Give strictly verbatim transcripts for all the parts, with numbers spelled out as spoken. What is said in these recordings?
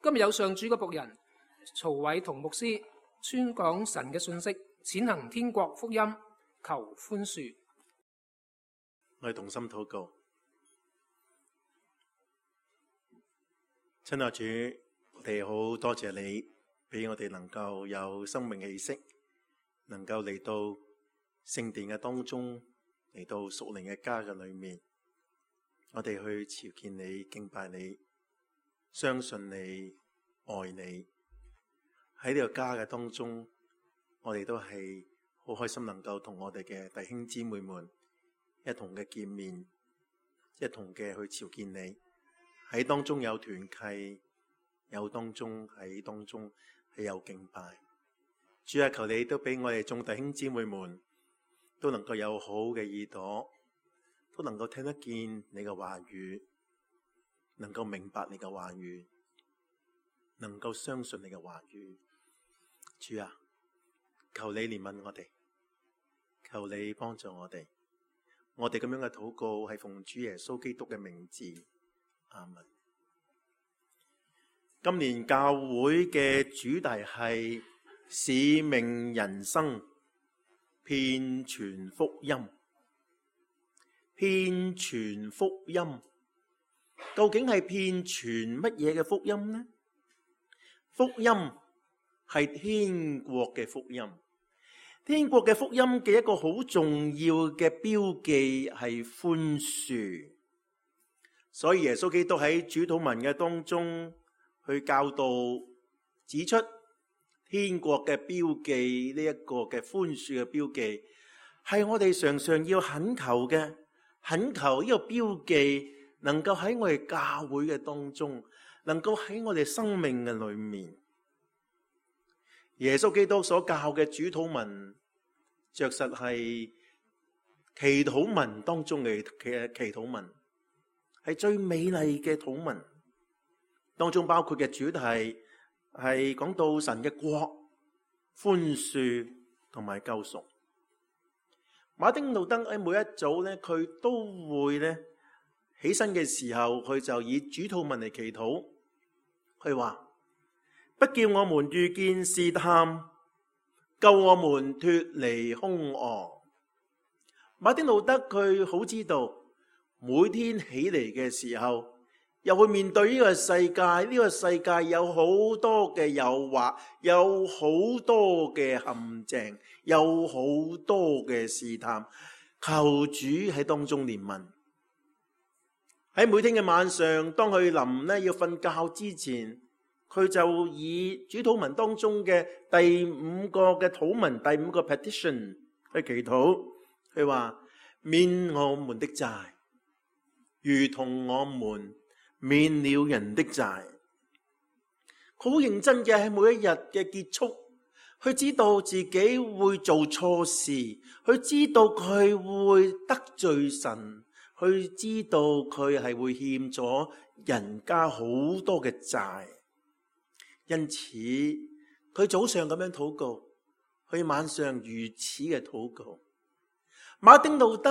今日有上主嘅僕人曹偉同牧師宣講神嘅信息，踐行天國福音，求寬恕。我哋同心禱告。親愛主，我哋好多謝你俾我哋能夠有生命氣息，能夠嚟到聖殿嘅當中，嚟到屬靈嘅家嘅裏面，我哋去朝見你、敬拜你、相信你、愛你。喺呢個家嘅當中，我哋都係好開心能夠同我哋嘅弟兄姊妹們一同嘅見面，一同嘅去朝見你。喺當中有團契，有當中喺當中係有敬拜。主啊，求你都俾我哋眾弟兄姊妹們都能夠有好嘅耳朵，都能夠聽得見你嘅話語，能夠明白你嘅話語，能夠相信你嘅話語。主啊，求你憐憫我哋，求你幫助我哋。我哋咁樣嘅禱告係奉主耶穌基督嘅名字，阿們。今年教會嘅主題係使命人生，遍傳福音。遍傳福音，究竟係遍傳乜嘢嘅福音呢？福音係天國嘅福音。天國嘅福音嘅一個好重要嘅標記係寬恕。所以耶穌基督喺主禱文嘅當中去教導指出，天國嘅標記，呢一個嘅寬恕嘅標記，係我哋常常要懇求嘅，懇求呢個標記能夠喺我哋教會嘅當中，能夠喺我哋生命嘅裏面。耶穌基督所教嘅主禱文，着實係祈禱文當中嘅嘅祈禱文，係最美麗嘅禱文。當中包括嘅主題係講到神嘅國、寬恕同埋救贖。馬丁路德喺每一早咧，佢都會咧起身嘅時候，佢就以主禱文嚟祈禱。佢話：不叫我們遇見試探，救我們脱離兇惡。馬丁路德佢好知道，每天起嚟嘅時候，又會面對呢個世界，呢個世界有好多嘅誘惑，有好多嘅陷阱，有好多嘅試探。求主喺當中憐憫。喺每天嘅晚上，當佢臨咧要瞓覺之前，佢就以主禱文當中嘅第五個嘅禱文，第五個 petition 去祈禱。佢話：免我們的債，如同我們免了人的債。好認真嘅喺每一日嘅結束，佢知道自己會做錯事，佢知道佢會得罪神，佢知道佢係會欠咗人家好多嘅債。因此佢早上咁樣禱告，佢晚上如此嘅禱告。馬丁路德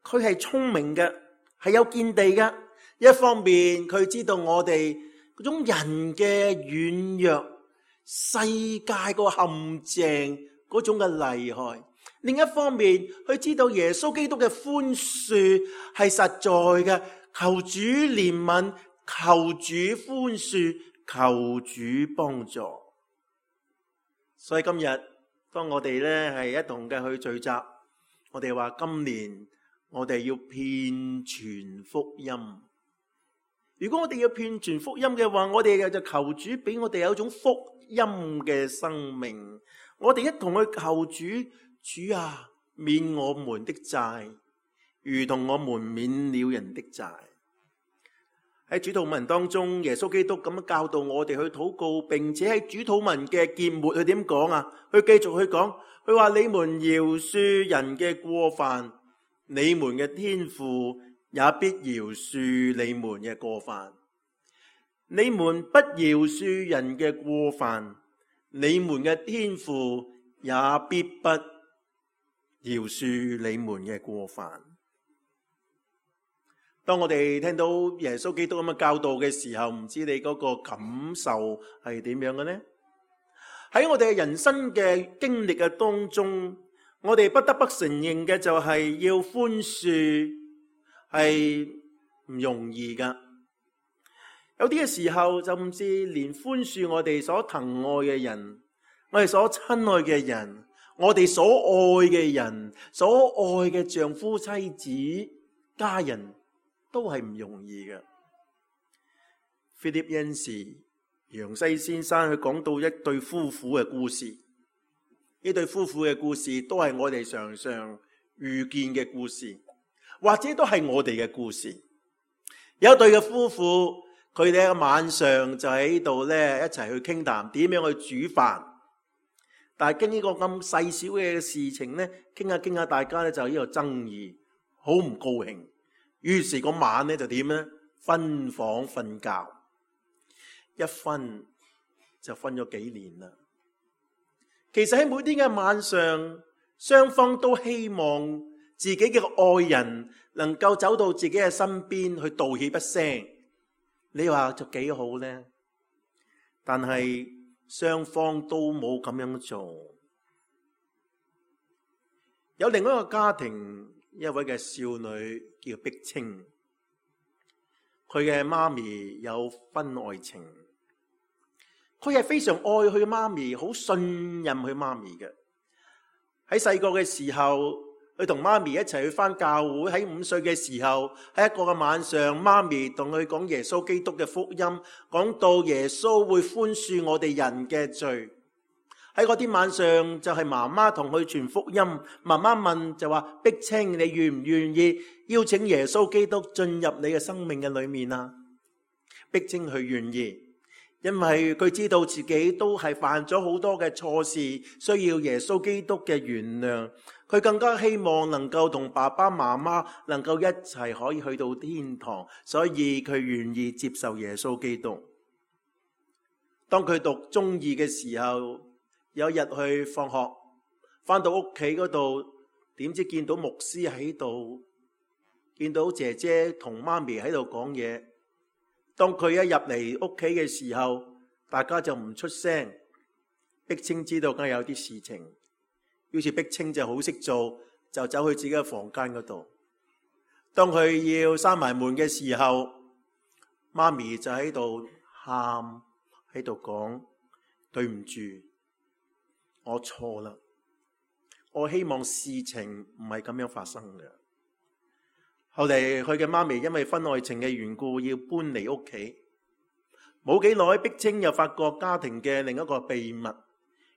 佢係聰明嘅，係有見地嘅。一方面佢知道我哋嗰種人嘅軟弱，世界個陷阱嗰種嘅厲害；另一方面佢知道耶穌基督嘅寬恕係實在嘅。求主憐憫，求主寬恕，求主幫助。所以今日當我哋咧係一同嘅去聚集，我哋話今年我哋要遍傳福音。如果我哋要遍傳福音嘅話，我哋就求主俾我哋有一種福音嘅生命。我哋一同去求主，主啊，免我們的債，如同我們免了人的債。喺主禱文當中，耶穌基督咁樣教導我哋去禱告，並且喺主禱文嘅結末，佢點講啊？佢繼續去講，佢話：你們饒恕人嘅過犯，你們嘅天父也必饒恕你們嘅過犯。你們不饒恕人嘅過犯，你們嘅天父也必不饒恕你們嘅過犯。當我哋聽到耶穌基督咁嘅教導嘅時候，唔知你嗰個感受係點樣嘅呢？喺我哋嘅人生嘅經歷嘅當中，我哋不得不承認嘅就係要寬恕係唔容易噶。有啲嘅時候，甚至連寬恕我哋所疼愛嘅人，我哋所親愛嘅人，我哋所愛嘅人，所愛嘅丈夫、妻子、家人，都係唔容易嘅。菲利恩士楊西先生佢講到一對夫婦嘅故事，呢對夫婦嘅故事都係我哋常常遇見嘅故事，或者都係我哋嘅故事。有一對嘅夫婦，佢哋喺晚上就喺度咧一齊去傾談點樣去煮飯，但係經呢個咁細小嘅事情咧，傾下傾下，大家咧就喺度爭議，好唔高興。於是嗰晚咧就點咧？分房瞓覺，一分就分咗幾年啦。其實喺每天嘅晚上，雙方都希望自己嘅愛人能夠走到自己嘅身邊去道歉一聲。你話就幾好呢？但係雙方都冇咁樣做。有另外一個家庭，一位嘅少女叫碧清，佢嘅媽咪有婚外情，佢係非常愛佢媽咪，好信任佢媽咪嘅。喺細個嘅時候，佢同媽咪一齊去返教會。喺五歲嘅時候，喺一個嘅晚上，媽咪同佢講耶穌基督嘅福音，講到耶穌會寬恕我哋人嘅罪。喺嗰天晚上就係媽媽同佢傳福音，媽媽問就話：碧清，你願唔願意邀請耶穌基督進入你嘅生命嘅裏面啊？碧清佢願意，因為佢知道自己都係犯咗好多嘅錯事，需要耶穌基督嘅原諒。佢更加希望能夠同爸爸媽媽能夠一齊可以去到天堂，所以佢願意接受耶穌基督。當佢讀中二嘅時候，有一日去放學，返到屋企嗰度，點知見到牧師喺度，見到姐姐同媽咪喺度講嘢。當佢一入嚟屋企嘅時候，大家就唔出聲。碧清知道梗係有啲事情，於是碧清就好識做，就走去自己嘅房間嗰度。當佢要閂埋門嘅時候，媽咪就喺度喊，喺度講：對唔住，我錯啦，我希望事情唔係咁樣發生嘅。後嚟佢嘅媽咪因為婚外情嘅緣故要搬離屋企，冇幾耐，碧清又發覺家庭嘅另一個秘密，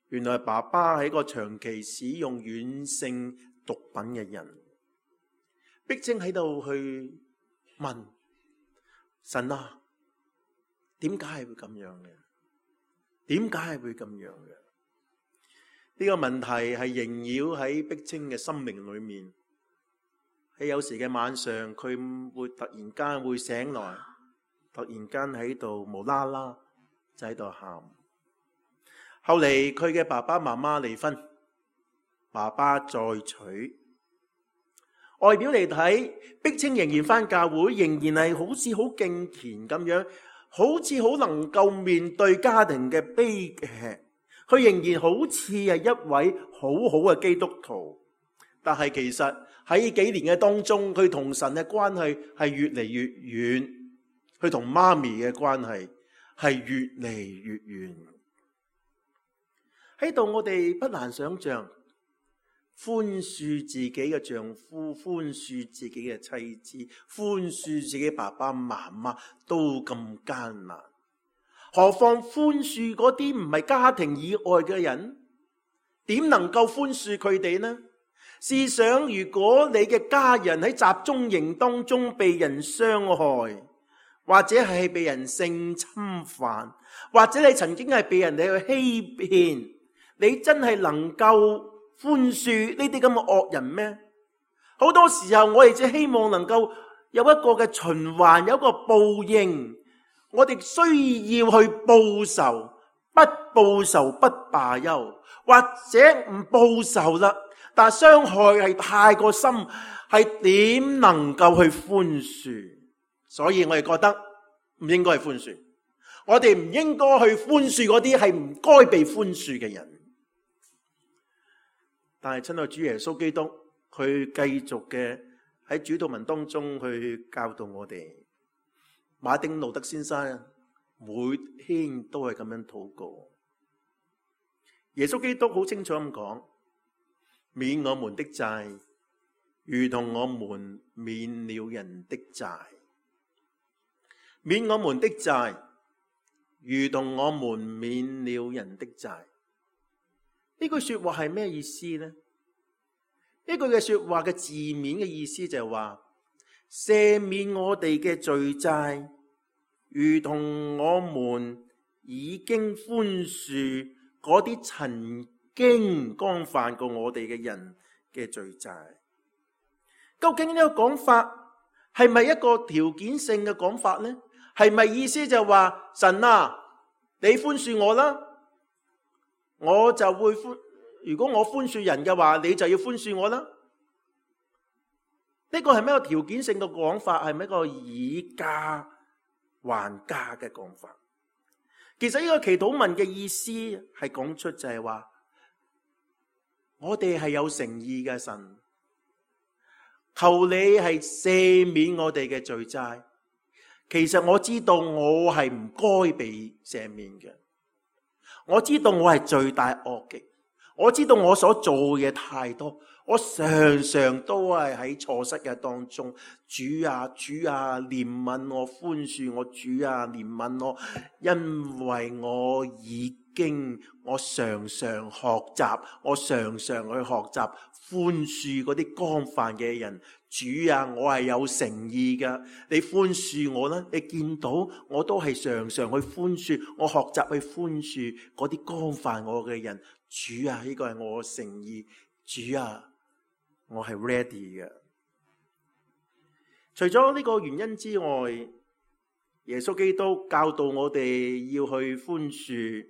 原來爸爸係一個長期使用軟性毒品嘅人。碧清喺度去問神啊，點解係會咁樣嘅？點解係會咁樣嘅？呢個問題係縈繞喺碧清嘅生命裏面。喺有時嘅晚上，佢會突然間會醒來，突然間喺度無啦啦就喺度喊。後嚟佢嘅爸爸媽媽離婚，爸爸再娶。外表嚟睇，碧清仍然返教會，仍然係好似好敬虔咁樣，好似好能夠面對家庭嘅悲劇。佢仍然好似係一位好好嘅基督徒，但係其實喺幾年嘅當中，佢同神嘅關係係越嚟越遠，佢同媽咪嘅關係係越嚟越遠。喺度我哋不難想象，寬恕自己嘅丈夫，寬恕自己嘅妻子，寬恕自己爸爸媽媽都咁艱難，何況寬恕嗰啲唔係家庭以外嘅人，點能夠寬恕佢哋呢？試想，如果你嘅家人喺集中營當中被人傷害，或者係被人性侵犯，或者你曾經係被人哋去欺騙，你真係能夠寬恕呢啲咁嘅惡人咩？好多時候我哋只希望能夠有一個嘅循環，有一個報應。我哋需要去報仇，不報仇不罷休，或者唔報仇啦，但係傷害係太過深，係點能夠去寬恕？所以我哋覺得唔應該係寬恕，我哋唔應該去寬恕嗰啲係唔該被寬恕嘅人。但係親愛主耶穌基督，佢繼續嘅喺主禱文當中去教導我哋。馬丁路德先生每天都係咁樣禱告。耶穌基督好清楚咁講，免我們的債，如同我們免了人的債。免我們的債，如同我們免了人的債。呢句說話係咩意思呢？呢句嘅說話嘅字面嘅意思就係話，赦免我哋嘅罪債，如同我們已經寬恕嗰啲曾經干犯過我哋嘅人嘅罪債。究竟呢個講法係咪一個條件性嘅講法呢？係咪意思就係話，神啊，你寬恕我啦，我就會寬。如果我寬恕人嘅話，你就要寬恕我啦。呢個係咩個條件性嘅講法？係咩個以價還價嘅講法？其實呢個祈禱文嘅意思係講出就係話，我哋係有誠意嘅，神，求你係赦免我哋嘅罪債。其實我知道我係唔該被赦免嘅，我知道我係罪大惡極。我知道我所做嘅嘢太多，我常常都係喺錯失嘅當中。主啊，主啊，憐憫我，寬恕我，主啊，憐憫我，因為我已經我常常學習，我常常去學習寬恕嗰啲干犯嘅人。主啊，我係有誠意噶，你寬恕我啦！你見到我都係常常去寬恕，我學習去寬恕嗰啲干犯我嘅人。主啊，呢個係我嘅誠意。主啊，我係 ready 嘅。除咗呢個原因之外，耶穌基督教導我哋要去寬恕，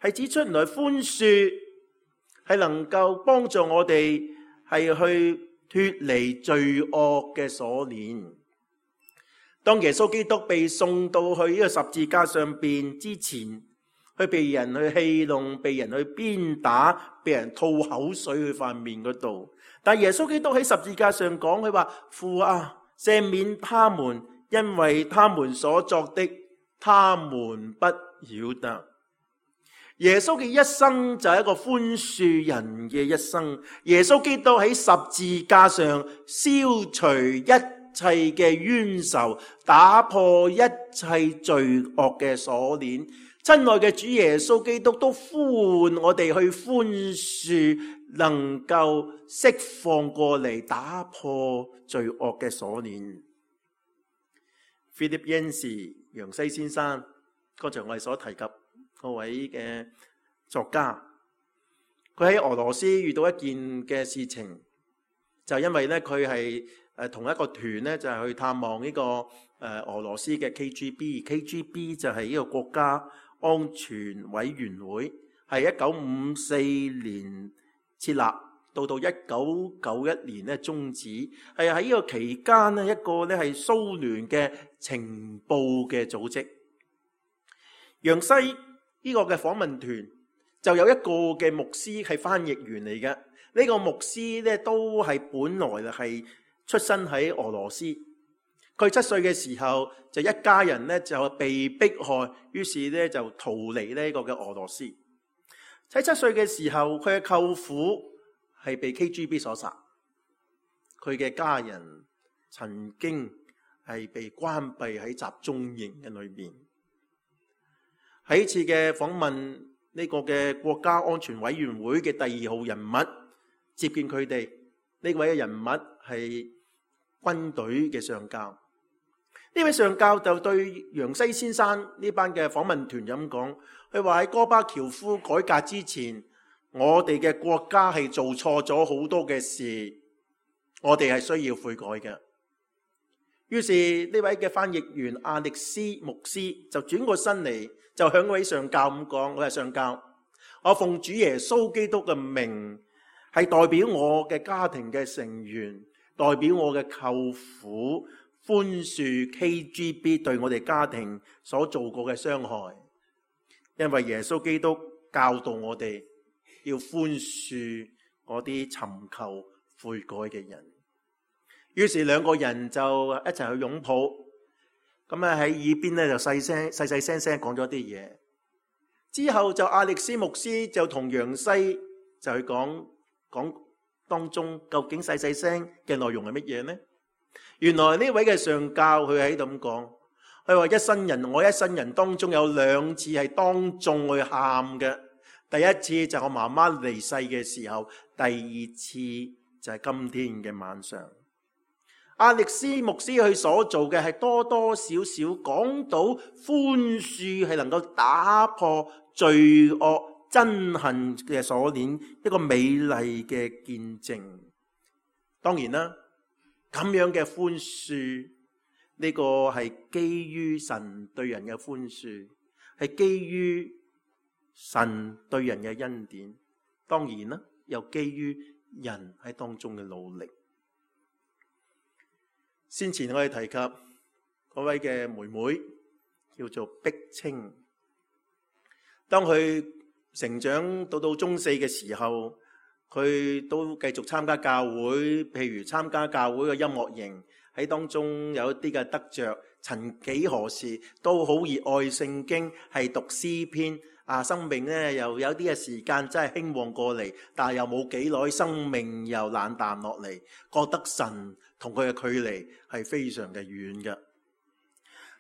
係指出原來寬恕係能夠幫助我哋係去脫離罪惡嘅鎖鏈。當耶穌基督被送到去呢個十字架上邊之前，佢被人去戲弄，被人去鞭打，被人吐口水去塊面嗰度。但耶穌基督喺十字架上講，佢話，父啊，赦免他們，因為他們所作的，他們不曉得。耶穌嘅一生就係一個寬恕人嘅一生。耶穌基督喺十字架上消除一切嘅冤仇，打破一切罪惡嘅鎖鏈。親愛嘅主耶穌基督都呼喚我哋去寬恕，能夠釋放過嚟，打破罪惡嘅鎖鏈。Philip Yancey 楊西先生，剛才我哋所提及嗰位嘅作家，佢喺俄羅斯遇到一件嘅事情，就因為咧佢係誒同一個團咧，就係去探望呢個誒俄羅斯嘅 K G B，K G B 就係呢個國家安全委員會，係一九五四年設立，到到一九九一年咧終止，係喺呢個期間咧一個咧係蘇聯嘅情報嘅組織。楊西呢個嘅訪問團就有一個嘅牧師係翻譯員嚟嘅，呢、這個牧師咧都係本來係出生喺俄羅斯。佢七歲嘅時候就一家人咧就被迫害，於是咧就逃離呢個嘅俄羅斯。喺七歲嘅時候，佢嘅舅父係被 K G B 所殺，佢嘅家人曾經係被關閉喺集中營嘅裏面。喺呢次嘅訪問，呢個嘅國家安全委員會嘅第二號人物接見佢哋，呢位嘅人物係軍隊嘅上校。呢位上校就對楊西先生呢班嘅訪問團咁講，佢話喺戈巴喬夫改革之前，我哋嘅國家係做錯咗好多嘅事，我哋係需要悔改嘅。於是呢位嘅翻譯員亞歷斯牧師就轉過身嚟，就向位上校咁講，我係上校，我奉主耶穌基督嘅名係代表我嘅家庭嘅成員，代表我嘅舅父寬恕 K G B 對我哋家庭所做過嘅傷害。因為耶穌基督教導我哋要寬恕嗰啲尋求悔改嘅人。於是兩個人就一齊去擁抱，咁啊喺耳邊咧就細聲細細聲聲講咗啲嘢。之後就亞力斯牧師就同楊西就去講講當中究竟細細聲嘅內容係乜嘢呢？原來呢位嘅上教佢喺度咁講，佢話一生人我一生人當中有兩次係當眾去喊嘅，第一次就係我媽媽離世嘅時候，第二次就係今天嘅晚上。亞力斯牧師佢所做嘅係多多少少講到寬恕係能夠打破罪惡憎恨嘅鎖鏈，一個美麗嘅見證。當然啦，咁樣嘅寬恕呢個係基於神對人嘅寬恕，係基於神對人嘅恩典。當然啦，又基於人喺當中嘅努力。先前我哋提及嗰位嘅妹妹叫做碧清，當佢成長到到中四嘅時候，佢都繼續參加教會，譬如參加教會嘅音樂營，喺當中有一啲嘅得着。曾幾何時都好熱愛聖經，係讀詩篇啊，生命咧又有啲嘅時間真係興旺過嚟，但係又冇幾耐，生命又冷淡落嚟，覺得神同佢嘅距離係非常嘅遠嘅。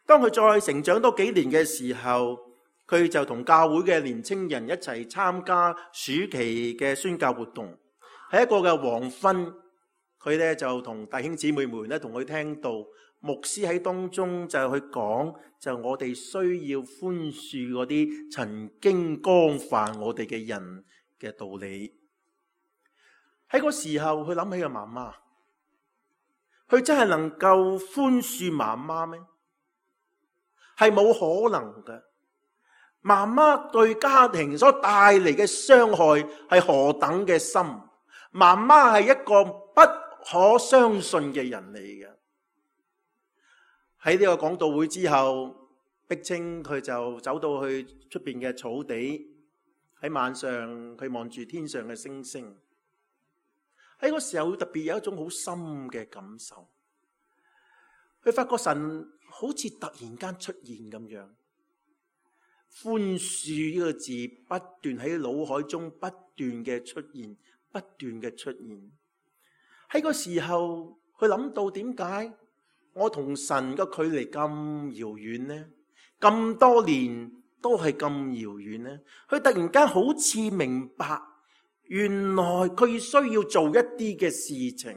當佢再成長多幾年嘅時候，佢就同教會嘅年青人一齊參加暑期嘅宣教活動。喺一個嘅黃昏，佢咧就同弟兄姊妹們咧同佢聽到牧師喺當中就去講，就我哋需要寬恕嗰啲曾經干犯我哋嘅人嘅道理。喺嗰時候，佢諗起個媽媽，佢真係能夠寬恕媽媽咩？係冇可能嘅。媽媽對家庭所帶嚟嘅傷害係何等嘅深，媽媽係一個不可相信嘅人嚟嘅。喺呢個講道會之後，碧清佢就走到去出邊嘅草地，喺晚上佢望住天上嘅星星。喺嗰時候特別有一種好深嘅感受，佢發覺神好似突然間出現咁樣。寬恕呢個字不斷喺腦海中不斷嘅出現，不斷嘅出現。喺個時候，佢諗到點解我同神嘅距離咁遙遠呢？咁多年都係咁遙遠呢？佢突然間好似明白，原來佢需要做一啲嘅事情，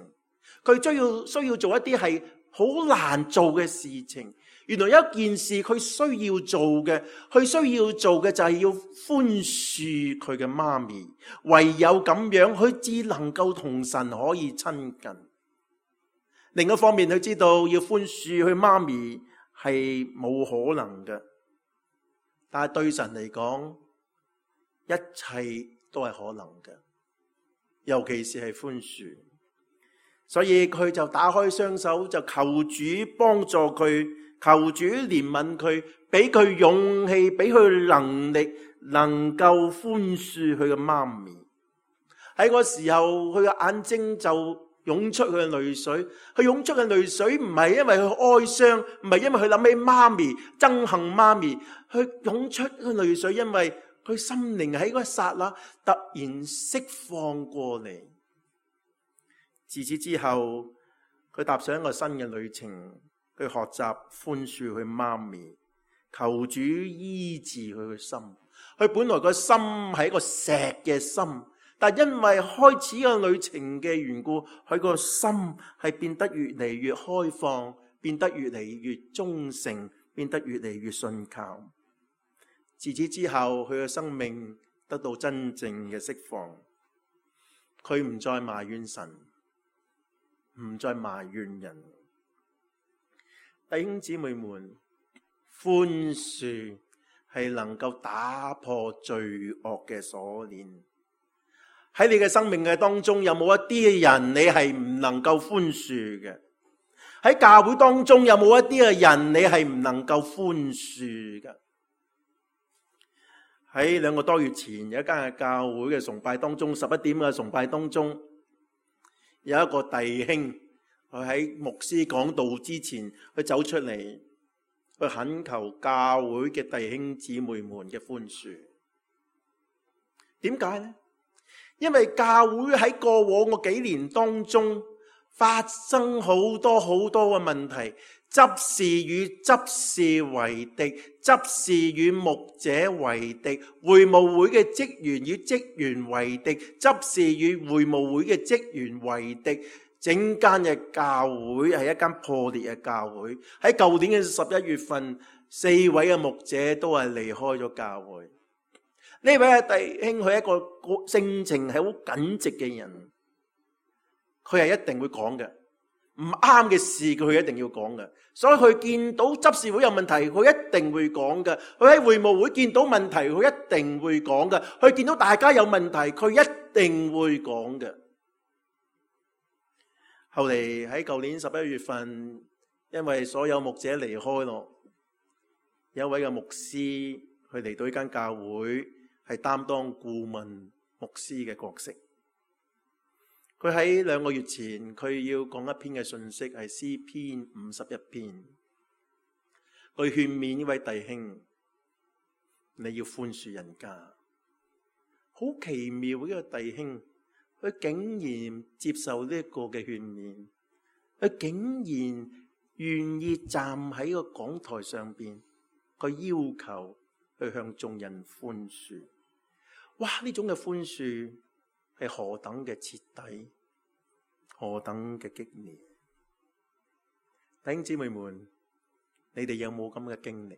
佢需要需要做一啲係好難做嘅事情。原來有一件事佢需要做嘅，佢需要做嘅就係要寬恕佢嘅媽咪。唯有咁樣，佢只能夠同神可以親近。另一方面，佢知道要寬恕佢媽咪係冇可能嘅，但係對神嚟講，一切都係可能嘅，尤其是係寬恕。所以佢就打開雙手，就求主幫助佢，求主憐憫佢，俾佢勇氣，俾佢能力，能夠寬恕佢嘅媽咪。喺嗰時候，佢嘅眼睛就湧出佢嘅淚水。佢湧出嘅淚水唔係因為佢哀傷，唔係因為佢諗起媽咪，憎恨媽咪。佢湧出嘅淚水，因為佢心靈喺嗰一剎那突然釋放過嚟。自此之後，佢踏上一個新嘅旅程，佢學習寬恕佢媽咪，求主醫治佢嘅心。佢本來個心係一個石嘅心，但因為開始個旅程嘅緣故，佢個心係變得越嚟越開放，變得越嚟越忠誠，變得越嚟越信靠。自此之後，佢嘅生命得到真正嘅釋放，佢唔再埋怨神，唔再埋怨人。弟兄姊妹們，寬恕係能夠打破罪惡嘅鎖鏈，喺你嘅生命嘅當中，有冇一啲嘅人你係唔能夠寬恕嘅？喺教會當中，有冇一啲嘅人你係唔能夠寬恕嘅？喺兩個多月前，有一間嘅教會嘅崇拜當中，十一點嘅崇拜當中，有一個弟兄，佢喺牧師講道之前，佢走出嚟，去懇求教會嘅弟兄姊妹們嘅寬恕。點解呢？因為教會喺過往個幾年當中發生好多好多嘅問題，執事與執事為敵，執事與牧者為敵，會務會嘅職員與職員為敵，執事與會務會嘅職員為敵，整間嘅教會係一間破裂嘅教會。喺舊年嘅十一月份，四位嘅牧者都係離開咗教會。呢位嘅弟兄，佢係一個性情係好耿直嘅人，佢係一定會講嘅，唔啱嘅事佢一定要講嘅。所以佢見到執事會有問題，佢一定會講嘅。佢喺會務會見到問題，佢一定會講嘅。佢見到大家有問題，佢一定會講嘅。後嚟喺舊年十一月份，因為所有牧者離開咯，有一位嘅牧師，佢嚟到呢間教會，係擔當顧問牧師嘅角色。佢喺兩個月前，佢要講一篇嘅信息，係詩篇五十一篇，佢勸勉呢位弟兄，你要寬恕人家。好奇妙嘅一個弟兄，佢竟然接受呢一個嘅勸勉，佢竟然願意站喺個講台上邊，佢要求去向眾人寬恕。哇！呢種嘅寬恕係何等嘅徹底，何等嘅激烈。弟兄姊妹們，你哋有冇咁嘅經歷？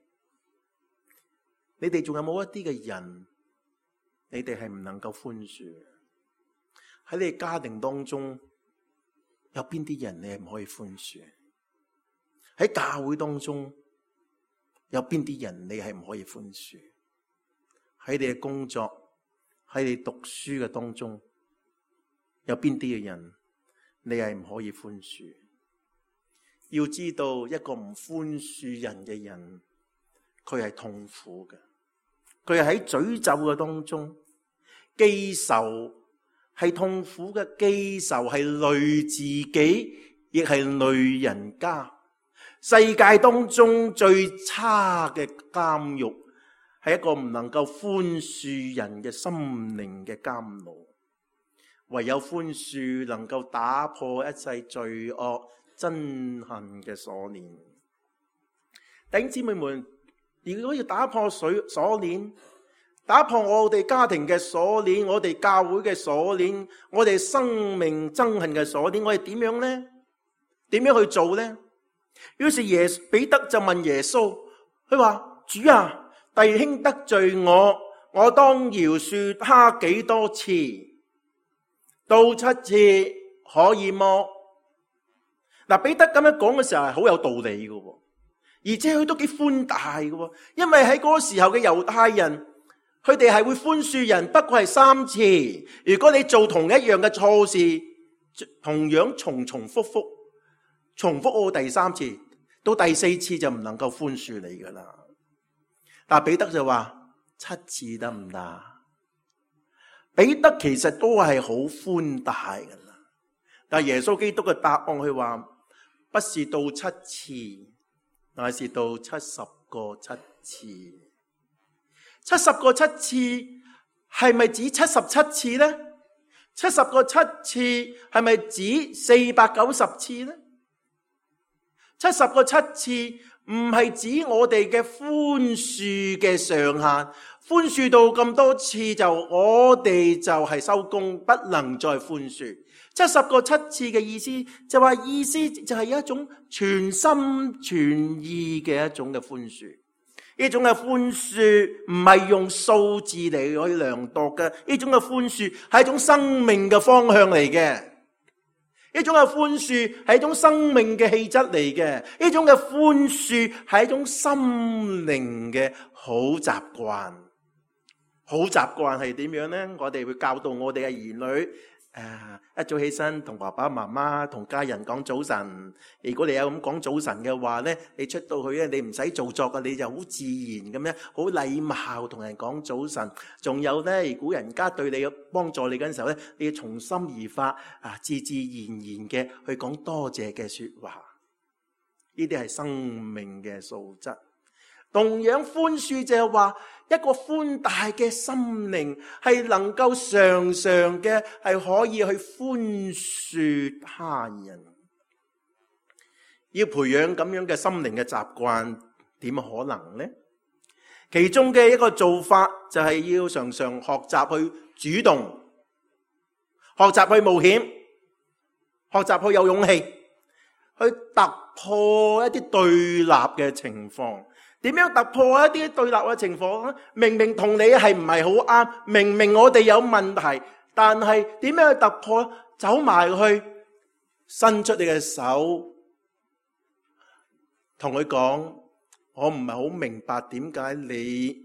你哋仲有冇一啲嘅人，你哋係唔能夠寬恕？喺你哋家庭當中，有邊啲人你係唔可以寬恕？喺教會當中，有邊啲人你係唔可以寬恕？喺你嘅工作，喺你讀書嘅當中，有邊啲嘅人你係唔可以寬恕？要知道，一個唔寬恕人嘅人，佢係痛苦嘅。佢係喺詛咒嘅當中，記仇係痛苦嘅，記仇係累自己，亦係累人家。世界當中最差嘅監獄，係一個唔能夠寬恕人嘅心靈嘅監牢。唯有寬恕能夠打破一切罪惡憎恨嘅鎖鏈。弟兄姊妹們，如果要打破鎖鏈，打破我哋家庭嘅鎖鏈，我哋教會嘅鎖鏈，我哋生命憎恨嘅鎖鏈，我哋點樣呢？點樣去做呢？於是耶彼得就問耶穌，佢話：主啊，弟兄得罪我，我當饒恕他幾多次？到七次可以麼？嗱，彼得咁樣講嘅時候係好有道理嘅，而且佢都幾寬大嘅，因為喺嗰個時候嘅猶太人，佢哋係會寬恕人，不過係三次。如果你做同一樣嘅錯事，同樣重重複複，重複到第三次，到第四次就唔能夠寬恕你噶啦。但彼得就話七次得唔得？彼得其實都係好寬大噶啦，但耶穌基督嘅答案佢話不是到七次，乃是到七十個七次。七十個七次係咪指七十七次呢？七十個七次係咪指四百九十次呢？七十個七次唔係指我哋嘅寬恕嘅上限，寬恕到咁多次就我哋就係收工，不能再寬恕。七十個七次嘅意思就話意思就係一種全心全意嘅一種嘅寬恕。呢種嘅寬恕唔係用數字嚟去量度嘅，呢種嘅寬恕係一種生命嘅方向嚟嘅。呢種嘅寬恕係一種生命嘅氣質嚟嘅，呢種嘅寬恕係一種心靈嘅好習慣、好習慣係點樣呢？我哋會教導我哋嘅兒女，誒，一早起身同爸爸媽媽同家人講早晨。如果你有咁講早晨嘅話呢，你出到去咧，你唔使做作嘅，你就好自然咁樣，好禮貌同人講早晨。仲有呢，如果人家對你有幫助你嗰陣時候呢，你要從心而發，啊，自自然然嘅去講多謝嘅說話。呢啲係生命嘅素質。同樣寬恕就係話一個寬大嘅心靈，係能夠常常嘅係可以去寬恕他人。要培養咁樣嘅心靈嘅習慣，點可能呢？其中嘅一個做法就係要常常學習去主動，學習去冒險，學習去有勇氣，去突破一啲對立嘅情況。點樣突破一啲對立嘅情況呢？明明同你係唔係好啱，明明我哋有問題，但係點樣去突破？走埋去，伸出你嘅手，同佢講：我唔係好明白點解你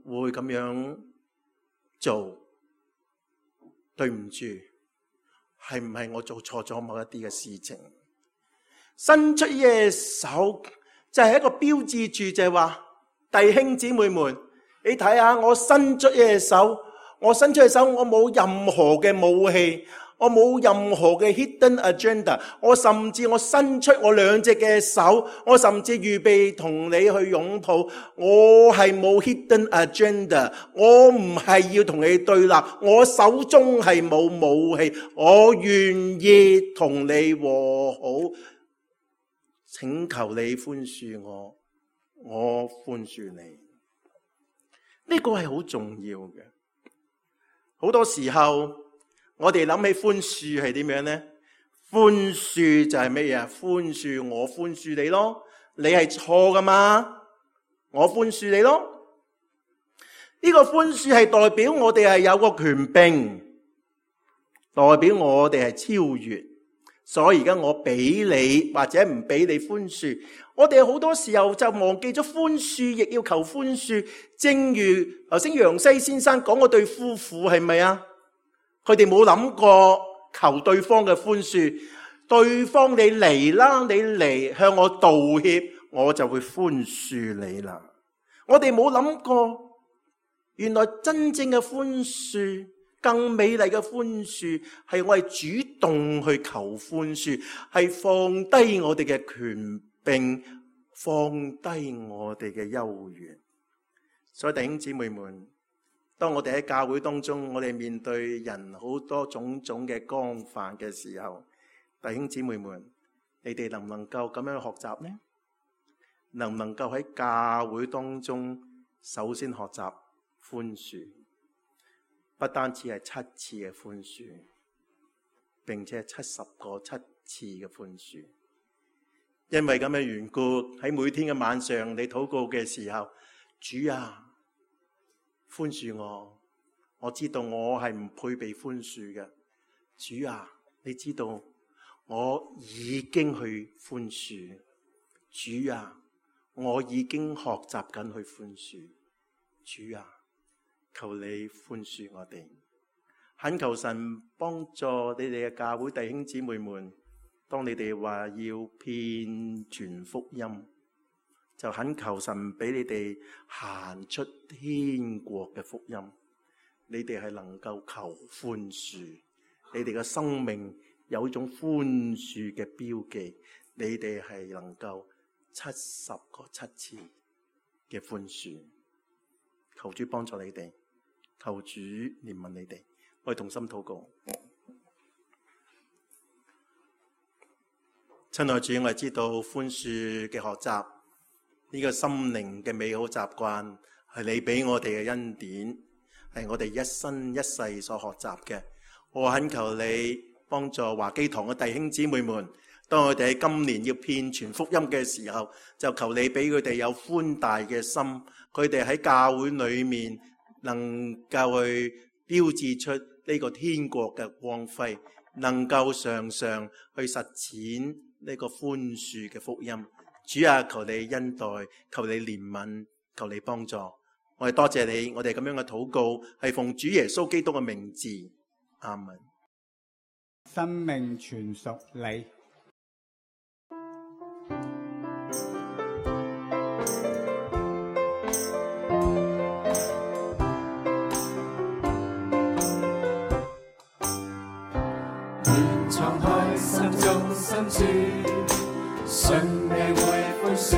會咁樣做，對唔住，係唔係我做錯咗某一啲嘅事情？伸出嘅手。就係一個標誌住，就係話弟兄姊妹們，你睇下我伸出嘅手，我伸出嘅手，我冇任何嘅武器，我冇任何嘅 hidden agenda， 我甚至我伸出我兩隻嘅手，我甚至預備同你去擁抱，我係冇 hidden agenda， 我唔係要同你對立，我手中係冇武器，我願意同你和好。請求你寬恕我，我寬恕你。呢個係好重要嘅。好多時候我哋諗起寬恕係點樣呢？寬恕就係咩嘢？寬恕我寬恕你咯，你係錯噶嘛，我寬恕你咯。呢個寬恕係代表我哋係有個權柄，代表我哋係超越。所以而家我俾你或者唔俾你寬恕，我哋好多時候就忘記咗寬恕，亦要求寬恕。正如頭先楊西先生講嗰對夫婦係咪啊？佢哋冇諗過求對方嘅寬恕，對方你嚟啦，你嚟向我道歉，我就會寬恕你啦。我哋冇諗過，原來真正嘅寬恕，更美麗嘅寬恕係我哋主動去求寬恕，係放低我哋嘅權柄，放低我哋嘅優越。所以弟兄姊妹們，當我哋喺教會當中，我哋面對人好多種種嘅光犯嘅時候，弟兄姊妹們，你哋能唔能夠咁樣學習呢？能唔能夠喺教會當中首先學習寬恕？不單止係七次嘅寬恕，並且係七十個七次嘅寬恕。因為咁嘅緣故，喺每天嘅晚上，你禱告嘅時候，主啊，寬恕我，我知道我係唔配被寬恕嘅。主啊，你知道我已經去寬恕。主啊，我已經學習緊去寬恕。主啊，求你寬恕我哋，懇求神幫助你哋嘅教會弟兄姊妹們。當你哋話要遍傳福音，就懇求神俾你哋行出天國嘅福音。你哋係能夠求寬恕，你哋嘅生命有一種寬恕嘅標記。你哋係能夠七十個七次嘅寬恕。求主幫助你哋。求主憐憫你哋，我哋同心禱告。親愛的主，我哋知道寬恕嘅學習，呢個心靈嘅美好習慣，係你俾我哋嘅恩典，係我哋一生一世所學習嘅。我懇求你幫助華基堂嘅弟兄姊妹們，當我哋喺今年要遍傳福音嘅時候，就求你俾佢哋有寬大嘅心，佢哋喺教會裏面能夠去標誌出呢個天國嘅光輝，能夠常常去實踐呢個寬恕嘅福音。主啊，求你恩待，求你憐憫，求你幫助。我我哋多謝你，我哋咁樣嘅禱告係奉主耶穌基督嘅名字，阿門。生命全屬你。願敞開心中深處，信你會寬恕，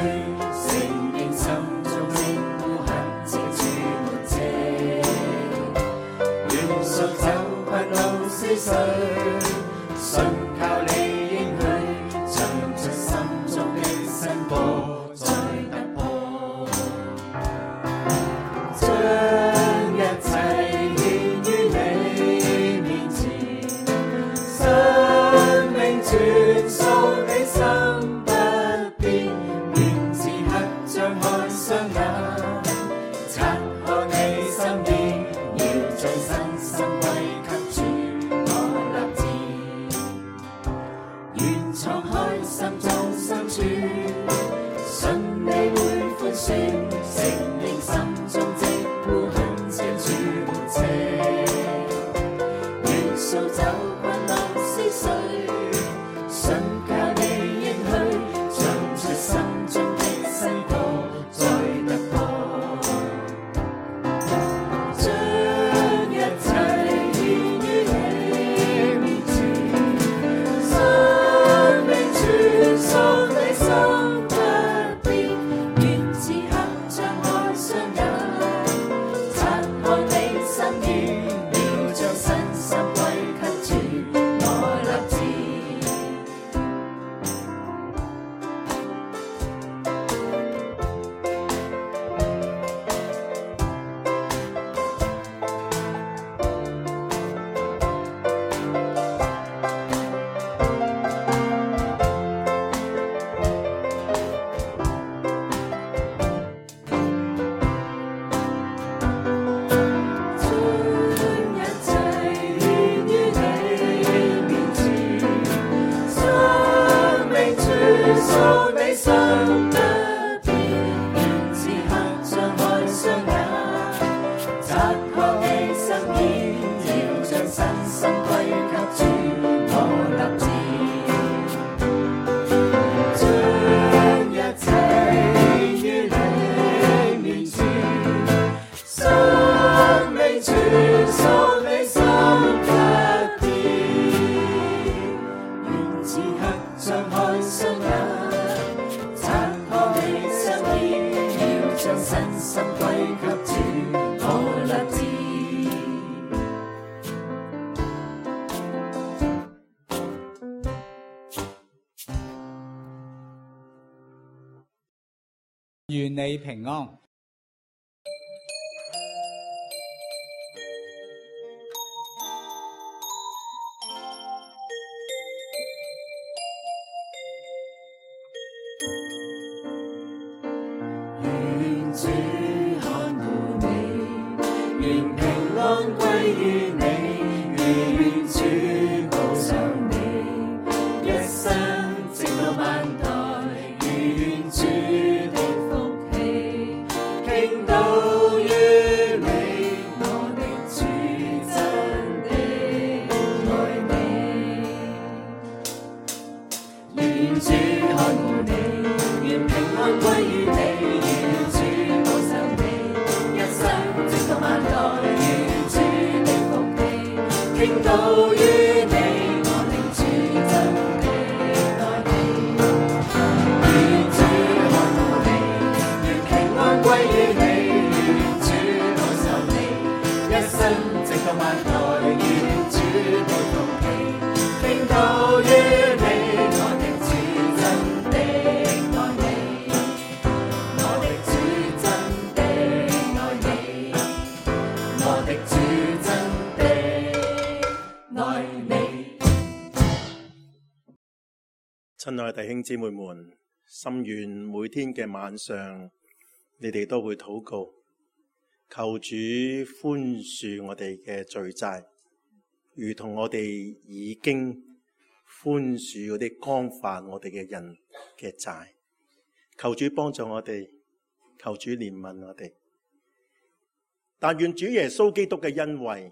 承認心中的污痕遮住沒遮。願掃走困惱思緒，信靠你應許，唱出心中的新歌，再突破，將一切獻於你面前，生命全屬你心不變，願此刻張開雙眼，察看你心意，要將身心歸給主，我立志，願敞開心中深處，信你會寬恕，承認心中的污痕遮住沒遮，願掃走困惱思緒，信靠你應許，唱出心中的新歌，再突破，將一切獻於你面前，生命全屬你心不變，願此刻張開雙眼，察看你心意，要將身心歸給主，我立志。將一切獻於你面前，生命全屬你心不變，願此刻張開雙眼，察看你心意，要將身心歸給主，我立志，將一切獻於你面前，生命全屬你心不變，願此刻張開雙眼，察看你心意，要將身心歸給主，我立志。願你平安。願主看顧你，願平安歸於你，願主保守你，一生直到萬代，願主的福氣傾倒於你，我的主真的愛你。願主看顧你，願平安歸於你，願主保守你，一生直到萬代，願主的福氣傾倒於你，我的主真的愛你。願主看顧你，願平安歸於你，願主保守你，一生直到萬代，願主的福氣傾倒於你，我的主真的愛你，我的主真的愛你，我的主真的愛你。親愛的弟兄姊妹們，心願每天嘅晚上，你哋都會禱告，求主寬恕我哋嘅罪債，如同我哋已經寬恕嗰啲干犯我哋嘅人嘅債。求主幫助我哋，求主憐憫我哋。但願主耶穌基督嘅恩惠、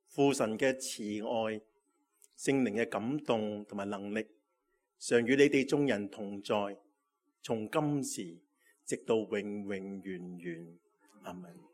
父神嘅慈愛、聖靈嘅感動同埋能力，常與你哋眾人同在，從今時直到永永遠遠。阿們。